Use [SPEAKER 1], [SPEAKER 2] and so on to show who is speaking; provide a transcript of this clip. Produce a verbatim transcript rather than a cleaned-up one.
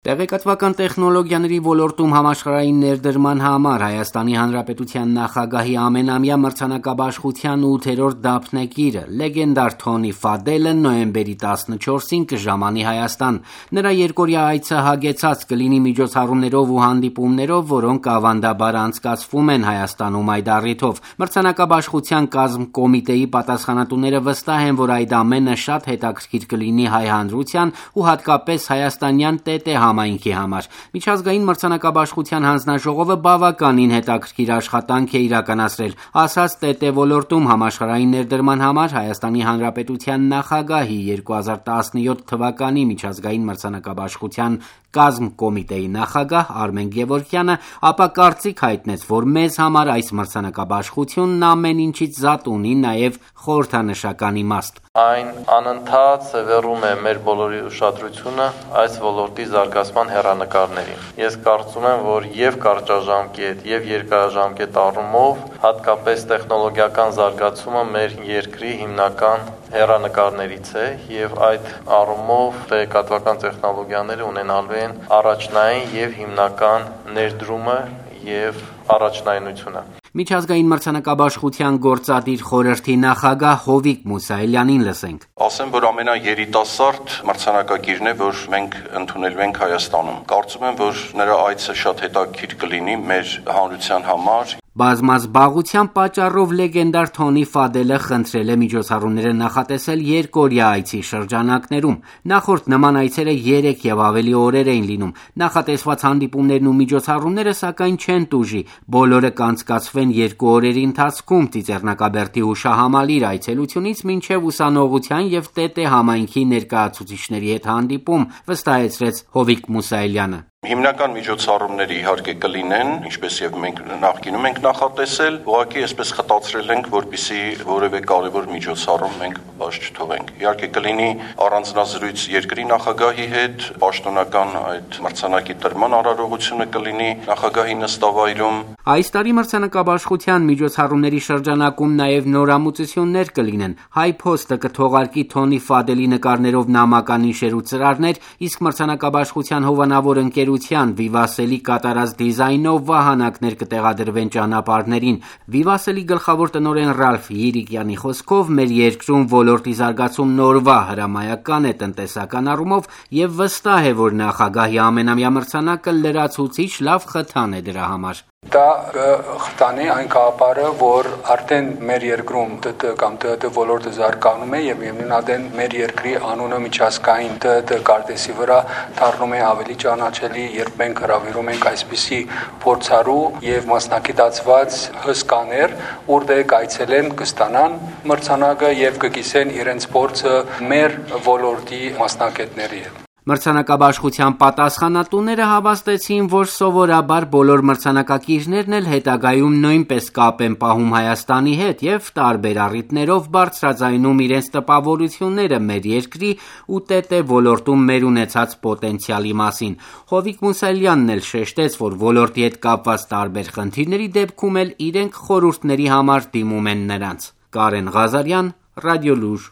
[SPEAKER 1] Տեղեկատվական տեխնոլոգիաների ոլորտում համաշխարհային ներդրման համար Հայաստանի Հանրապետության նախագահի ամենամյա մրցանակաբաշխության ութերորդ դափնեկիրը լեգենդար Թոնի Ֆադելը նոյեմբերի տասնչորսին կժամանի Հայաստան։ Նրա երկօրյա այցը հագեցած կլինի միջոցառումներով ու հանդիպումներով, որոնք ավանդաբար անցկացվում են Հայաստանում այդ առիթով։ Մրցանակաբաշխության կազմկոմիտեի պատասխանատուները վստահ են, որ այդ ամենը շատ հետաքրքիր կլինի հայ հանրության ու հատկապես հայաստանյան ՏՏ համայնքի համար։ Միջազգային մրցանակաբաշխության հանձնաժողովը բավականին հետաքրքիր աշխատանք է իրականացրել, ասաց ՏՏ ոլորտում համաշխարհային ներդրման համար Հայաստանի Հանրապետության նախագահի երկու հազար տասնյոթ թվականի միջազգային մրցանակաբաշխության կազմկոմիտեի նախագահ Արմեն Գևորգյանը, ապա կարծիք հայտնեց, որ մեզ համար այս մրցանակաբաշխությունն ամեն ինչից զատ ունի նաև խորհրդանշական իմաստ։
[SPEAKER 2] Այն անընդհատ սևեռում է մեր բոլորի ուշադրությունը այս ոլորտի զարգացման հեռանկարներին։ Ես կարծում եմ, որ եւ կարճաժամկետ, եւ երկարաժամկետ առումով հատկապես տեխնոլոգիական զարգացումը մեր երկրի հիմնական հեռանկարներից է եւ այդ առումով տեղեկատվական տեխնոլոգիաները ունենալու են առաջնային եւ հիմնական ներդրումը եւ առաջնայնությունը։
[SPEAKER 1] Միջազգային մրցանակաբաշխության գործադիր խորհրդի նախագահ Հովիկ Մուսայելյանին լսենք։
[SPEAKER 3] Ասեմ, որ ամենաերիտասարդ մրցանակակիրն է, որ մենք ընդունելու ենք Հայաստանում։ Կարծում եմ, որ նրա այցը շատ հետաքրքիր կլինի մեր հանրության համար։
[SPEAKER 1] Բազմազբաղության պատճառով լեգենդար Թոնի Ֆադելը խնդրել է միջոցառումները նախատեսել երկօրյա այցի շրջանակներում։ Նախորդ նման այցերը երեք եւ ավելի օրեր էին լինում։ Նախատեսված հանդիպումներն ու միջոցառումները սակայն չեն տուժի։ Բոլորը կանցկացվեն երկու օրերի ընթացքում Ծիծեռնակաբերդի հուշահամալիր այցելությունից մինչև ուսանողության եւ ՏՏ համայնքի ներկայացուցիչների հետ հանդիպում, վստահեցրեց Հովիկ Մուսայելյանը։
[SPEAKER 3] Հիմնական միջոցառումները իհարկե կլինեն, ինչպես եւ մենք նախկինում ենք նախատեսել, ուղղակի այսպես խտացրել ենք, որպեսզի որևէ կարևոր միջոցառում մենք բաց չթողենք։ Իհարկե կլինի առանձնազրույց երկրի նախագահի հետ, պաշտոնական այդ մրցանակի տրման արարողությունը կլինի նախագահի նստավայրում։
[SPEAKER 1] Այս տարի մրցանակաբաշխության միջոցառումների շրջանակում նաև նորամուծություններ կլինեն։ HiPost-ը կթողարկի Թոնի Ֆադելի նկարներով նամականիշեր ու ծրարներ, իսկ մրցանակաբաշխության հովանավոր ընկերության Vivace-ի կատարած դիզայնով վահանակներ կտեղադրվեն ճանապարհներին։ Vivace-ի գլխավոր տնօրեն Ռալֆ Յիրիկյանի խոսքով մեր երկրում ոլորտի զարգացումն օրվա հրամայական է տնտեսական առումով եւ վստահ է, որ նախագահի ամենամյա մրցանակը լրացուցիչ լավ խթան է դրա համար։
[SPEAKER 4] Դա խթանի այն գաղափարը, որ արդեն մեր երկրում ՏՏ կամ ՏՏ ոլորտը զարգանում է եւ միևնույն մեր երկրի անունը միջազգային ՏՏ կարտեսի վրա դառնում է ավելի ճանաչելի, երբ մենք հրավիրում ենք այսպիսի փորձառու եւ մասնակցված հսկաներ, որտեղ կայցելեն, կստանան մրցանակը եւ կկիսեն իրենց փորձը մեր ոլորտի մասնակիցների հետ։
[SPEAKER 1] Մրցանակաբաշխության պատասխանատուները հավաստեցին, որ սովորաբար բոլոր մրցանակակիրներն էլ հետագայում նույնպես կապ են պահում Հայաստանի հետ եւ տարբեր առիթներով բարձրաձայնում իրենց տպավորությունները մեր երկրի ու ՏՏ ոլորտում մեր ունեցած պոտենցիալի մասին։ Հովիկ Մուսայելյանն էլ շեշտեց, որ ոլորտի հետ կապված տարբեր խնդիրների դեպքում էլ իրենք խորհուրդների համար դիմում են նրանց։ Կարեն Ղազարյան, Ռադիոլուր։